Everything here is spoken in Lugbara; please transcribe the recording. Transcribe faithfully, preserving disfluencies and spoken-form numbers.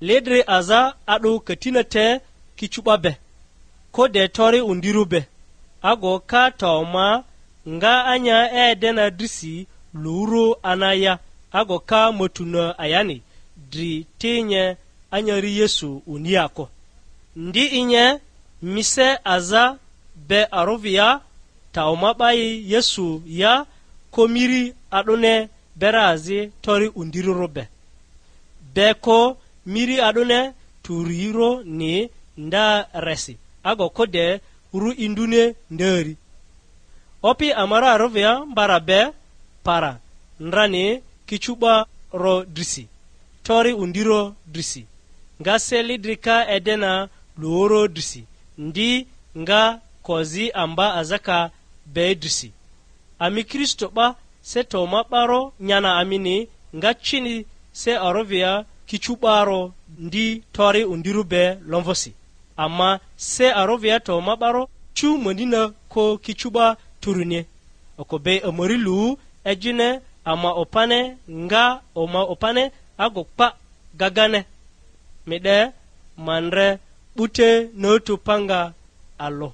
Lidri aza a'dᴜ katina te kicu'ba be, ko de tori undirᴜ be, ago ka ta oma nga anya edena drisi luru anaya, ago ka matuna ayani dri ti nye anyari Yesu unia kᴜ. Ndi inye mise aza be arovia, ta oma 'ba yi Yesu ya, ko miri a'dᴜne bera azi tori undirᴜrᴜ be, be ko miri a'dᴜne turirᴜni nda resi, ago ko de ru induni ndari. Opi ama ra arovia mbara be para, ndrani kicu'ba ro drisi, tori undiro drisi, nga se lidri ka edena luoro drisi, ndi nga kozi amba azaka be drisi. Ami Kristo 'ba se to ma 'baro nyana amini nga cini se arovia kicu 'baro ndi tori undirᴜ be lomvosi, ama se arovia to ma 'baro cu manina ko kicu 'ba turuni. Oko be amari lu ejine ama opane nga oma opane ago kpa gagane. Mi 'de ma ndre 'bute notu panga alᴜ.